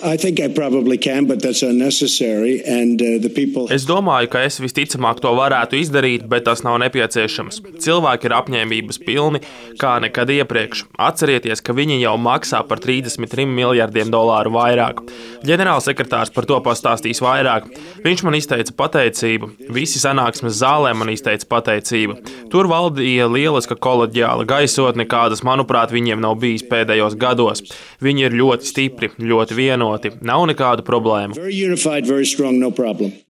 I think I probably can, but that's unnecessary, and the people. Es domāju, ka es visticamāk to varētu izdarīt, bet tas nav nepieciešams. Cilvēki ir apņēmības pilni kā nekad iepriekš. Atcerieties, ka viņi jau maksā par $33 miljardiem vairāk. Ģenerālsekretārs par to pastāstīs vairāk. Viņš man izteica pateicību. Visi sanāksmes zālē man izteica pateicību. Tur valdīja lieliska koleģiāla gaisotne, kādas, manuprāt, viņiem nav bijis pēdējos gados. Viņi ir ļoti stipri, ļoti vienoti. Nav nekādu problēmu. Very unified, very strong, no problem.